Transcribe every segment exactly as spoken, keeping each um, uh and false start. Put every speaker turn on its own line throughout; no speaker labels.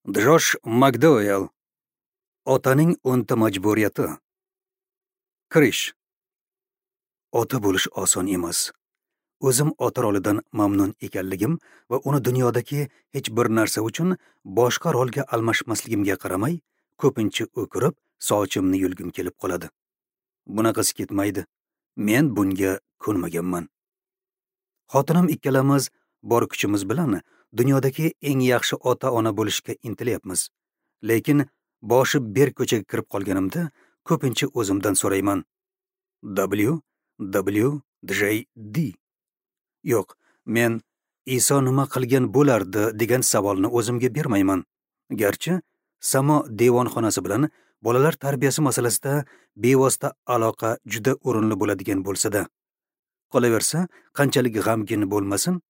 Josh Makdouell. Otaning o'nta majburiyati. Kirish. Ota bo'lish oson emas. O'zim ota rolidan mamnun ekanligim va uni dunyodagi hech bir narsa uchun boshqa rolga almashmasligimga qaramay, ko'pincha o'kirib, sochimni yulgim kelib qoladi. Bunaqasi ketmaydi. Men bunga ko'nmaganman. Xotinim ikkalamiz bor kuchimiz bilan dunyodagi eng yaxshi ota-ona bo'lishga intilyapmiz. Lekin boshi berk ko'chaga kirib qolganimda ko'pincha o'zimdan so'rayman. W W J D. Yo'q, men Iso nima qilgan bo'lardi degan savolni o'zimga bermayman. Garchi samo devonxonasi bilan bolalar tarbiyasi masalasida bevosita aloqa juda o'rinli bo'ladigan bo'lsa-da, qolaversa, qanchalik g'amgin bo'lmasin,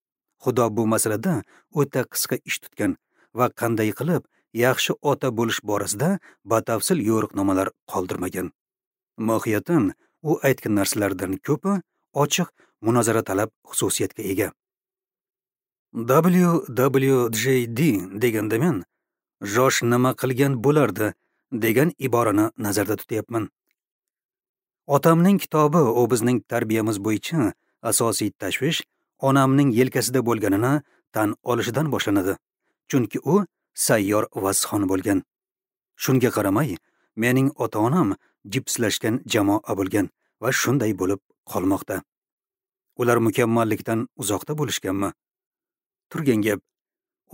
Xudo bu masalada o'ta qisqa ish tutgan va qanday qilib yaxshi ota bo'lish borasida batafsil yo'riqnomalar qoldirmagan. Mohiyatan u aytgan narsalardan ko'pi ochiq munozara talab xususiyatga ega. W W J D deganda men Josh nima qilgan bo'lardi degan iborani nazarda tutyapman. Otamning kitobi u bizning tarbiyamiz bo'yicha asosiy tashvish onamning yelkasida bo'lganini tan olishidan boshlanadi. Chunki u sayyor vazxon bo'lgan. Shunga qaramay, mening ota-onam jipslashgan jamoa bo'lgan va shunday bo'lib qolmoqda. Ular mukammallikdan uzoqda bo'lishganmi? Turgan gap,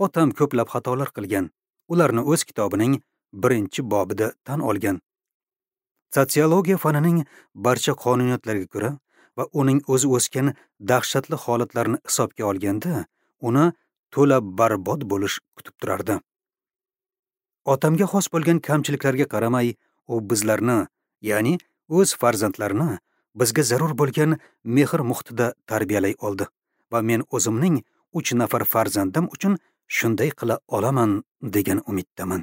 otam ko'plab xatolar qilgan. Ularni o'z kitobining birinchi bobida tan olgan. Sotsiologiya fanining barcha qonuniyatlariga ko'ra va uning o'zi o'sgan dahshatli holatlarni hisobga olganda, uni to'la barbod bo'lish kutib turardi. Otamga xos bo'lgan kamchiliklarga qaramay, u bizlarni, ya'ni o'z farzandlarini bizga zarur bo'lgan mehr muhitida tarbiyalay oldi va men o'zimning uch nafar farzandim uchun shunday qila olaman degan umiddaman.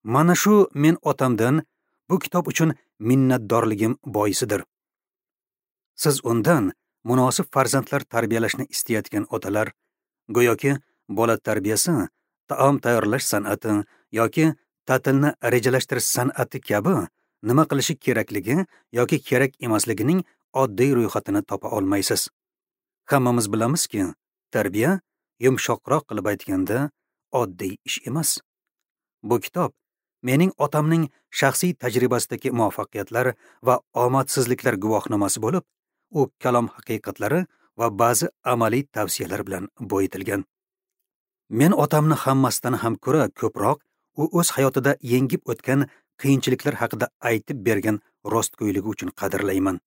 Mana shu men otamdan bu kitob uchun minnatdorligim boisidir. Siz undan munosib farzandlar tarbiyalashni istayotgan otalar, go'yoki bola tarbiyasi, taom tayyorlash san'ati yoki ta'tilni rejalashtirish san'ati kabi nima qilishi kerakligi yoki kerak emasligining oddiy ro'yxatini topa olmaysiz. Hammamiz bilamizki, tarbiya yumshoqroq qilib aytganda oddiy ish emas. Bu kitob mening otamning shaxsiy tajribasidagi muvaffaqiyatlar va omadsizliklar guvohnomasi bo'lib, u kalom haqiqatlari va ba'zi amaliy tavsiyalar bilan boyitilgan. Men otamni hammasidan ham ko'ra ko'proq u o'z hayotida yengib o'tgan qiyinchiliklar haqida aytib bergan rostgo'yligi uchun qadrlayman.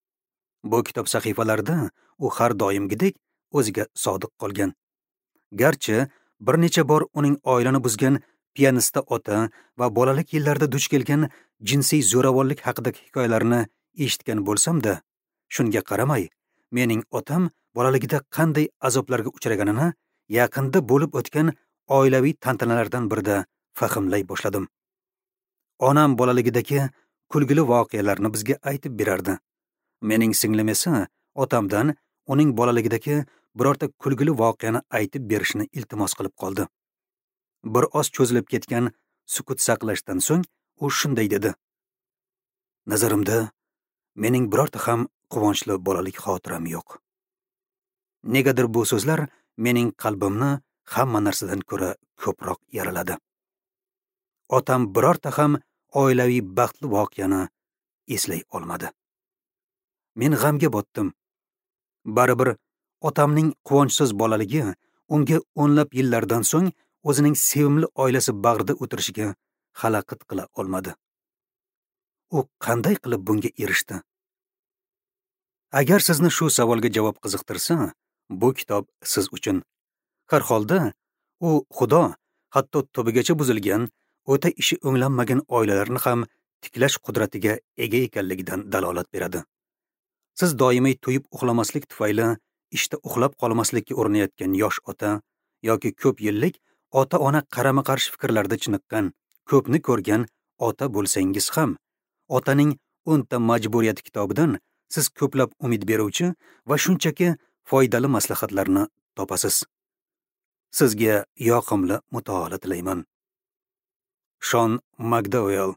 Bu kitob sahifalarida u har doimgidek o'ziga sodiq qolgan. Garchi bir necha bor uning oilani buzgan piyanista ota va bolalik yillarida duch kelgan jinsiy zo'ravonlik haqidagi hikoyalarni eshitgan bo'lsam-da, shunga qaramay, mening otam bolaligida qanday azoblarga uchraganini yaqinda bo'lib o'tgan oilaviy tantanalardan birida fahmlay boshladim. Onam bolaligidagi kulgili voqealarni bizga aytib berardi. Mening singlim esa otamdan uning bolaligidagi birorta kulgili voqeani aytib berishini iltimos qilib qoldi. Bir oz cho'zilib ketgan sukut saqlashdan so'ng u shunday dedi: Nazarimda mening birorta ham quvonchli bolalik xotiram yo'q. Negadir bu so'zlar mening qalbimni hamma narsadan ko'ra ko'proq yaraladi. Otam birorta ham oilaviy baxtli voqeani eslay olmadi. Men g'amga botdim. Baribir otamning quvonchsiz bolaligi unga o'nlab yillardan so'ng o'zining sevimli oilasi bag'rida o'tirishiga xalaqit qila olmadi. U qanday qilib bunga erishdi? Agar sizni shu savolga javob qiziqtirsa, bu kitob siz uchun. Har holda u Xudo hatto tubigacha buzilgan, o'ta ishi o'nglanmagan oilalarni ham tiklash qudratiga ega ekanligidan dalolat beradi. Siz doimiy to'yib uxlamaslik tufayli ishda uxlab qolmaslikka urinayotgan yosh ota yoki ko'p yillik ota-ona qarama-qarshi fikrlarda chiniqqan, ko'pni ko'rgan ota bo'lsangiz ham, otaning o'nta majburiyati kitobidan siz ko'plab umid beruvchi va shunchaki foydali maslahatlarni topasiz. Sizga yoqimli mutolaa tilayman. Shon Makdauell.